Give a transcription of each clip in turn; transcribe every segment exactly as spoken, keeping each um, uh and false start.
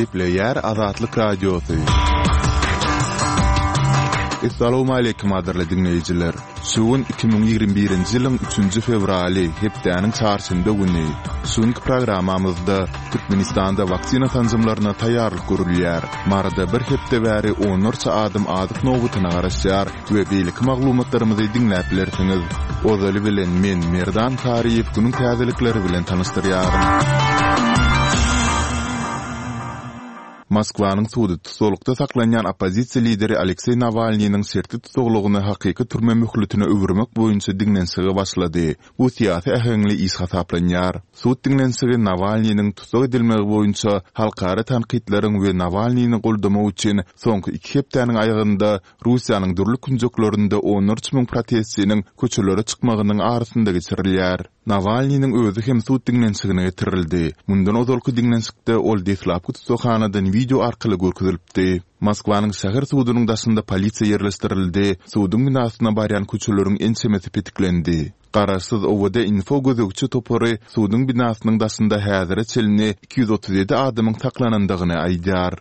Gepleýär Azatlyk Radiosy. Essalawmaleýkim gadyrly diňleýjiler! Şu gün iki müň ýigrimi birinji ýylyň üçünji fewraly, hepdäniň çarşenbe güni. Şu günki programmamyzda Türkmenistanda waksina sanjymlaryna taýýarlyk görülýär. Maryda bir hepde bäri onlarça adam azyk nobatyna garaşýar we beýleki maglumatlarymyzy diňläp bilersiňiz. Ozaly bilen men, Merdan Saryýew günüň täzelikleri bilen tanyşdyrýaryn. Moskwanyň sudy tussaglykda saklanýan oppozisiýa lideri Alekseý Nawalnynyň şertli tussaglygyny hakyky türme möhletine öwürmek boýunça diňlenişige başlady. Bu syýasy äheňli iş hasaplanýar. Sud diňlenişigi Nawalnynyň tussag edilmegi boýunça halkara tankytlaryň we Nawalnyny goldamak üçin soňky iki hepdäniň aýagynda Russiýanyň dürli künjeklerinde onlarça müň protestçiniň köçelere çykmagynyň arasynda geçirilýär. Nawalnynyň özi hem sud diňlenişigine getirildi. Mundan ozalky diňlenişikde ol deslapky tussaghanadan wideo arkaly görkezilipdi. Moskwanyň şäher sudunyň daşynda polisiýa ýerleşdirildi, suduň binasyna barýan köçeleriň ençemesi petiklendi. Garaşsyz OWD-Info gözegçi topary suduň binasynyň daşynda häzire çenli iki ýüz otuz ýedi adamyň saklanandygyny aýdýar.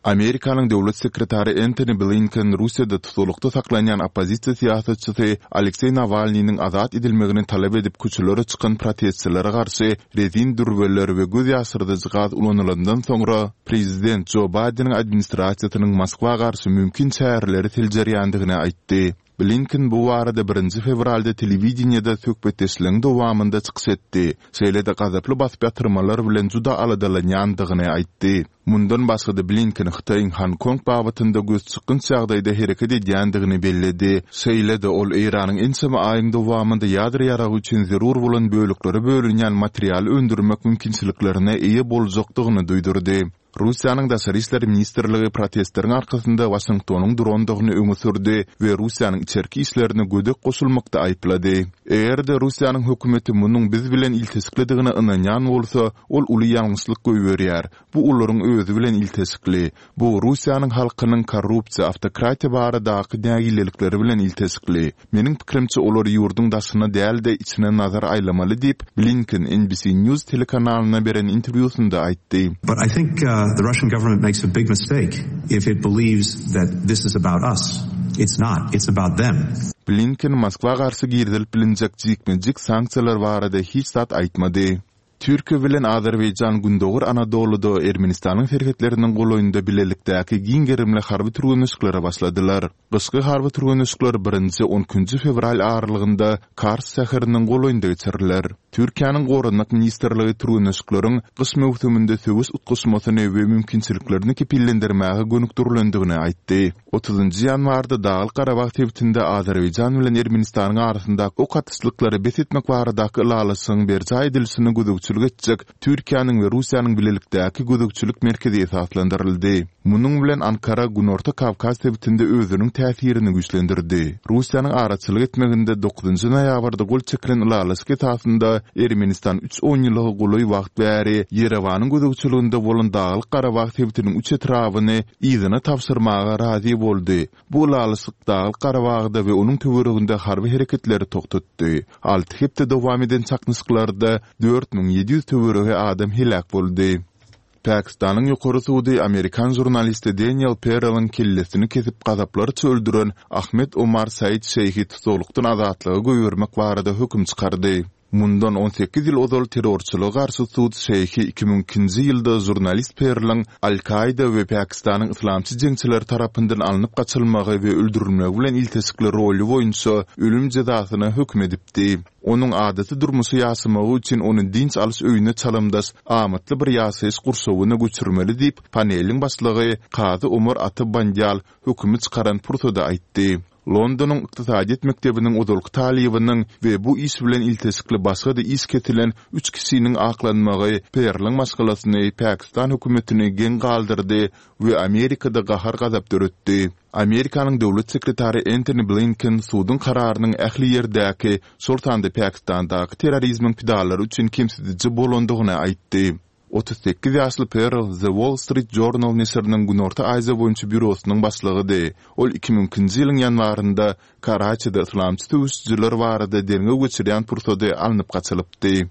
Amerikanyň döwlet sekretary Entoni Blinken Russiýada tussaglykda saklanýan oppozisiýa syýasatçysy Alekseý Nawalnynyň azat edilmegini talap edip köçelere çykan protestçilere garşy rezin dürbeler we göz ýaşyrdyjy gaz ulanylandan soňra prezident Jo Baýdeniň administrasiýasynyň Moskwa garşy mümkin çäreleri seljerýändigini aýtdy. Blinken bu barada birinji fewralda telewideniýede söhbetdeşligiň dowamynda çykyş etdi, şeýle-de gazaply basyp ýatyrmalar bilen juda aladalanýandygyny aýtdy. Mundan başga-da Blinken Hytaýyň Honkong babatynda gözçykgynç ýagdaýda hereket edýändigini belledi. Şeýle-de ol Eýranyň ençeme aýyň dowamynda ýadro ýaragy üçin zerur bolan böleklere bölünýän materialy öndürmek mümkinçiliklerine eýe boljakdygyny duýdurdy. Russiýanyň Daşary işler ministrligi protestleriň arkasynda Waşingtonyň durandygyny öňe sürdi we Russiýanyň içerki işlerine gödek goşulmakda aýyplady. Eger-de Russiýanyň hökümeti munuň biz bilen ilteşiklidigine ynanýan bolsa, ol uly ýalňyşlyk goýberýär. Bu olaryň özi bilen ilteşikli. Bu Russiýanyň halkynyň korrupsiýa, awtokratiýa baradaky nägilelikleri bilen ilteşikli. Meniň pikirimçe, olar ýurduň daşyna däl-de, içine nazar aýlamaly diýip, Blinken N B C News telekanalyna beren interwýusynda aýtdy. But I think the Russian government makes a big mistake if it believes that this is about us. It's not. It's about them. Blinken Moskwa garşy girizilip bilinjek jikme-jik sanksiýalar barada hiç zat aýtmady. Türkiýe bilen Azerbaýjan Gündogar Anadoluda Ermenistanyň serhetleriniň golaýynda bilelikdäki giň gerimli harby türgenleşiklere başladylar. Gyşky harby türgenleşikler birinji, on ikinji fewral aralygynda Kars şäheriniň golaýynda geçiriler. Türkiýäniň Goranmak ministrligi türgenleşikleriň gyş möwsüminde söweş utgaşmasyny we mümkinçiliklerini kepillendirmäge gönükdirilendigini aýtdy. Otuzynjy ýanwarda Daglyk-Garabag sebitinde Azerbaýjan bilen Ermenistanyň arasyndaky ok atyşlyklary bes etmek baradaky ylalaşygyň berjaý edilişine gözegçilik etjek Türkiýäniň we Russiýanyň bilelikdäki gözegçilik merkezi esaslandyryldy. Munuň bilen Ankara Günorta Kawkaz sebitinde özüniň täsirini güýçlendirdi. Russiýanyň araçylyk etmeginde dokuzynjy noýabrda gol çekilen ylalaşyk esasynda Ermenistan üç onýyllyga golaý wagt bäri Ýerewanyň gözegçiliginde bolan Daglyk-Garabag sebitiniň üç etrabyny yzyna tabşyrmaga razy boldy. Bu ylalaşyk Daglyk-Garabagda we onuň töwereginde harby hereketleri togtatdy. Alty hepde dowam eden çaknyşyklarda dört müň ýedi ýüz töweregi adam heläk boldy. Pakistanyň ýokary sudy amerikan žurnalisti Deniel Pereliň kellesini kesip gazaplarça öldüren Ahmed Omar Said Şeýhi tussaglykdan azatlyga goýbermek barada höküm çykardy. Mundan on sekiz ýyl ozal terrorçylyga garşy sud Şeýhi iki müň ikinji ýylda žurnalist Perliň Al-Kaida we Pakistanyň yslamçy jeňçileri tarapyndan alnyp gaçylmagy we öldürilmegi bilen ilteşikli roly boýunça ölüm jezasyna höküm edipdi. Onuň adaty durmuşy ýaşamagy üçin ony dynç alyş öýüne çalymdaş amatly bir ýaşaýyş gurşawyna göçürmeli diýip, paneliň başlygy kazy Omar Ata Bandial hökümi çykaran pursady aýtdy. Londonyň ykdysadyýet mekdebiniň ozalky talybynyň we bu iş bilen ilteşikli başga-da iş kesilen üç kişiniň aklanmagy Perliň maşgalasyny, Pakistan hökümetini geň galdyrdy we Amerikada gahar-gazap döretdi. Amerikanyň döwlet sekretary Entoni Blinken suduň kararynyň ähli ýerdäki, şol sanda Pakistandaky terrorizmiň pidalary üçin kemsidiji bolandygyny aýtdy. Otuz sekiz ýaşly Perl The Wall Street Journal neşiriniň Günorta Aziýa boýunça býurosynyň başlygydy. Ol iki müň ikinji ýylyň ýanwarynda Karaçide yslamçy söweşijiler barada derňew geçirýän pursady alnyp gaçylypdy.